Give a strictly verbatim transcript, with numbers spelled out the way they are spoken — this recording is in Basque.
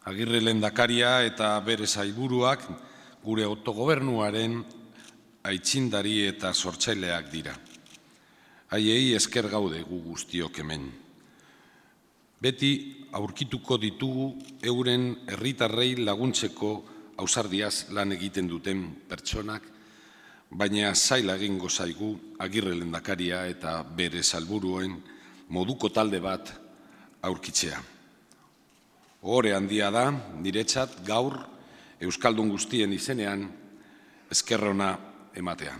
Agirre lehendakaria eta bere sailburuak gure autogobernuaren aitzindari eta sortzaileak dira. Haiei esker gaude gu guztiok hemen. Beti aurkituko ditugu euren herritarrei laguntzeko ausardiaz lan egiten duten pertsonak, baina zaila egingo zaigu Agirre lehendakaria eta bere sailburuen moduko talde bat aurkitzea. Ohore handia da, niretzat gaur Euskaldun guztien izenean esker ona ematea.